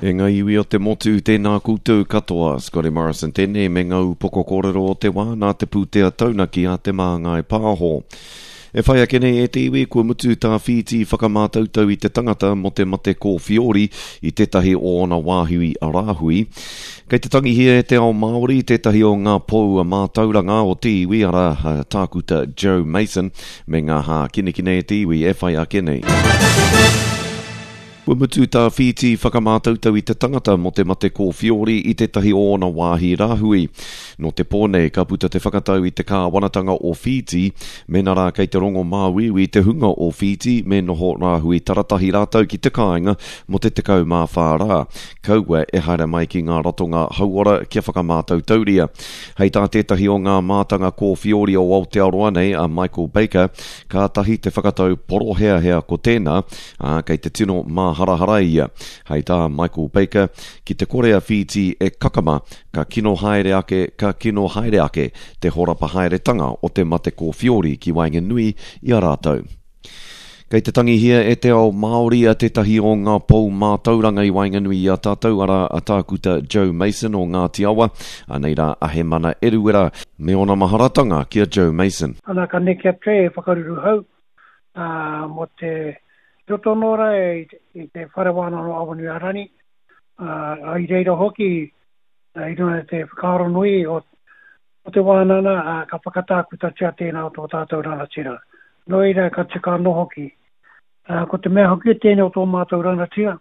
E ngā iwi o te motu, tēnā koutou katoa. Scotty Morrison tēnei me ngā upoko kōrero o te wā nā te pūtea taunaki a Te Māngai Pāho. E whai ake nei e te iwi, kua mutu tā Whītī whakamātautau i te tangata mō te mate kōwhiori i tētahi o ōna wāhi rāhui. Kei te tangihia e te ao Māori tētahi o ngā pou mātauranga o te iwi, arā, Tākuta Joe Mason, me ngā hākinakina e te iwi e whai ake nei. Kua mutu tā Whītī whakamātautau i te tangata mō te mate kōwhiori i tētahi o ōna wāhi rāhui. Nō te pō nei ka puta te whakatau i te kāwanatanga o Whītī, mēnā rā kei te rongo māuiui te hunga o Whītī me noho rāhui taratahi rātou ki te kāinga mō te 14 rā, kaua e haere mai ki ngā ratonga hauora kia whakamātautauria. Hei tā tētahi o ngā mātanga kōwhiori o Aotearoa nei, a Michael Baker, kātahi te whakatau poroheahea ko tēnā, ā, kei te tino māharahara ia. Hei tā Michael Baker, ki te kore a Whītī e kakama, ka kino haere ake, ka kino haere ake te horapa haeretanga o te mate kōwhiori ki waenganui i a rātou. Kei te tangihia e te ao Māori a tētahi o ngā pou mātauranga i waenganui i a tātou, arā, a Tākuta Joe Mason o Ngāti Awa, anei rā a Hemana Eruera, me ōna maharatanga ki a Joe Mason. Ana ka neke atu e whakaruruhau ā, mō te roto anō rā i te Whare Wānanga o Awanuiārani, ā, i reira hoki i runga i te whakaaro nui o, o te wānanga, ā, ka whakatākutatia tēnā o tō tātou rangatira. Nō reira, ka tika anō hoki. Ā, ko te mea hoki tēnei o tō mātou rangatira,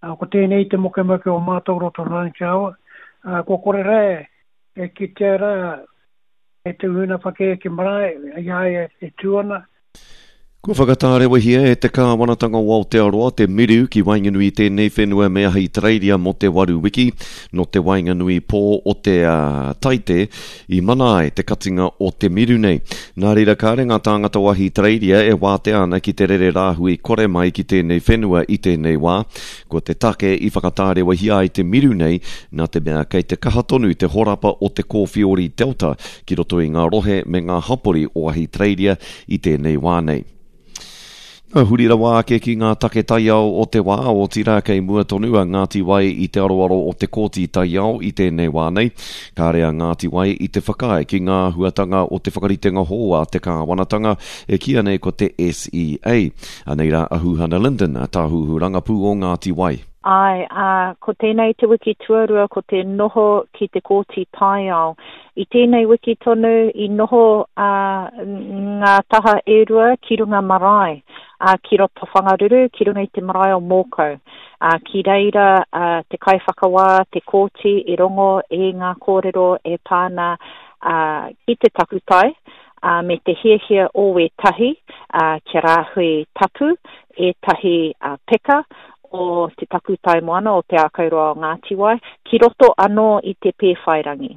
ā, ko tēnei te mokemoke o mātou roto nā Te Awa, ā, kua kore rā e kitea rā E te uhuna whakaheke marae, i a ia e tū ana. Kua whakatārewahia e te Kāwanatanga o Aotearoa te miru ki waenganui i tēnei whenua me Ahitereiria mō te waru wiki, nō te waenganui pō o te Taite i mana ai te katinga o te miru nei. Nā reira kāre ngā tāngata o Ahitereiria e wātea ana ki te rere rāhui kore mai ki tēnei whenua i tēnei wā. Ko te take i whakatārewahia ai te miru nei, nā te mea kei te kaha tonu te horapa o te kōwhiori Delta ki roto i ngā rohe me ngā hapori o Ahitereiria i tēnei wā nei. Ka huri rawa ake ki ngā take taiao o te wā, otirā kei mua tonu a Ngāti Wai i te aroaro o te Kōti Taiao i tēnei wā nei. Kāre a Ngāti Wai i te whakaae ki ngā āhuatanga o te whakaritenga hou a te kāwanatanga e kīia nei ko te SEA. Anei rā a Huhana Lyndon, tāhuhu rangapū o Ngāti Wai. Āe, ā, ko tēnei te wiki tuarua ko te noho ki te Kōti Taiao. I tēnei wiki tonu i noho ā, ngā taha e rua ki runga marae, ā, ki roto Whangaruru, ki runga i te marae o Mōkau. Ā, ki reira ā, te kaiwhakawā, te kōti i rongo i ngā kōrero e pā ana ā, ki te takutai, ā, me te hiahia o wētahi, ā, kia rāhui tapu ētahi, ā, peka o te takutai moana o Te Ākauroa o Ngātiwai, ki roto anō i te Pēwhairangi.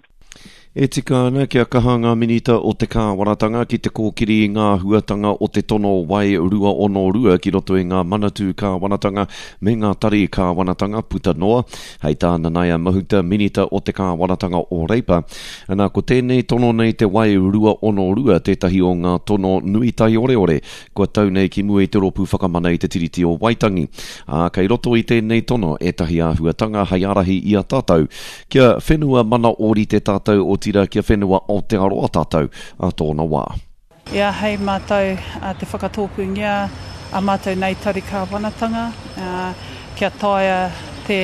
E tika ana kia kaha ngā Minita o te Kāwanatanga ki te kōkiri i ngā āhuatanga o te tono Wai 262 ki roto i ngā manatū kāwanatanga me ngā tari kāwanatanga puta noa, hei tā Nanaia Mahuta, Minita o te Kāwanatanga o Reipa. Ana, ko tēnei tono nei te Wai 262 tētahi o ngā tono nui taioreore kua tau nei ki mua i te Rōpū Whakamana i te Tiriti o Waitangi. Ā, kei roto i tēnei tono ētahi āhuatanga hei ārahi i a tātou kia whenua mana ōrite tātou, otirā kia whenua Aotearoa tātou ā tōna wā. I āhei mātou te whakatōpūngia ā mātou nei tari kāwanatanga kia taea te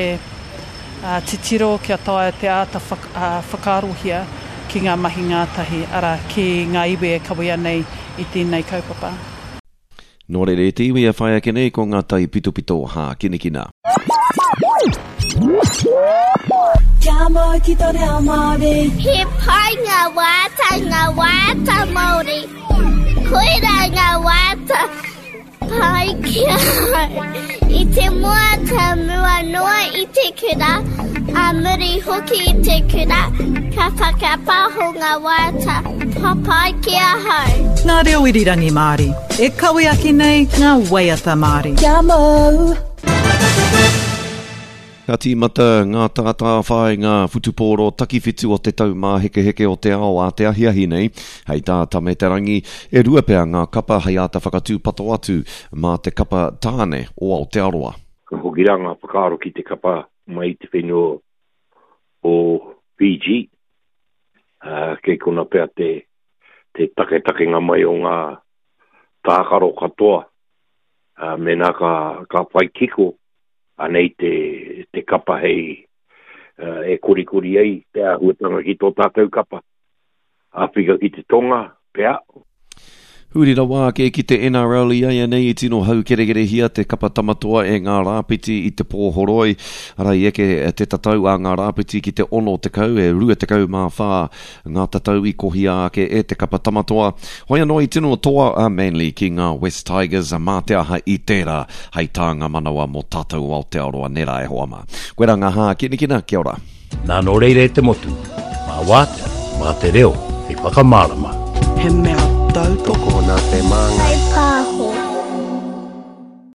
titiro, kia taea te āta whakaarohia ki ngā mahi ngātahi, arā, ki ngā iwi e kawea nei i tēnei kaupapa. Nō reira e te iwi e whai ake nei ko ngā taipitopito hākinakina. Kia mau ki to reo Māori. He pai ngā waiata, ngā waiata Māori. Koirā ngā waiata pai ki ahau. I te mua ka mua noa i te kura, ā muri hoki i te kura, ka whakapaho ngā waiata papai ki ahau. Ngā reo irirangi Māori. E kawe ake nei ngā waiata Māori. Kia mau! Ka tīmata ngā tātāwhāinga whutupōro takiwhitu o te Taumāhekeheke o te Ao ā te ahiahi nei. Hei tā Tame Te Rangi, e rua pea ngā kapa hei āta whakatūpato atu mā te kapa tāne o Aotearoa. Ka hoki rā ngā whakaaro ki te kapa. mai i te whenua o Fiji. Ā, kei kona pea te, te taketakenga mai o ngā tākaro katoa. Ā, mēnā ka, ka whai kiko, anei te, te kapa hei, e korikori ai te āhuatanga ki tō tātou kapa. Āwhika ki te Tonga, pea. Huri rawa ake ki te NRL i āianei i tino haukerekerehia te kapa tamatoa e ngā rāpiti i te pō horoi. Arā i eke te tatau a ngā rāpiti ki te 60, e 24 ngā tatau i kohia ake e te kapa tamatoa. Hoi anō i tino toa a Manly ki ngā West Tigers, mā te aha i tērā hei tānga manawa mō tātou o Aotearoa nē rā e hoa mā. Koirā ngā hākinakina, kia ora. Nā nō reira e te motu, mā Wātea, mā te reo hei whakamārama. He mea tautoko nā te Māngai.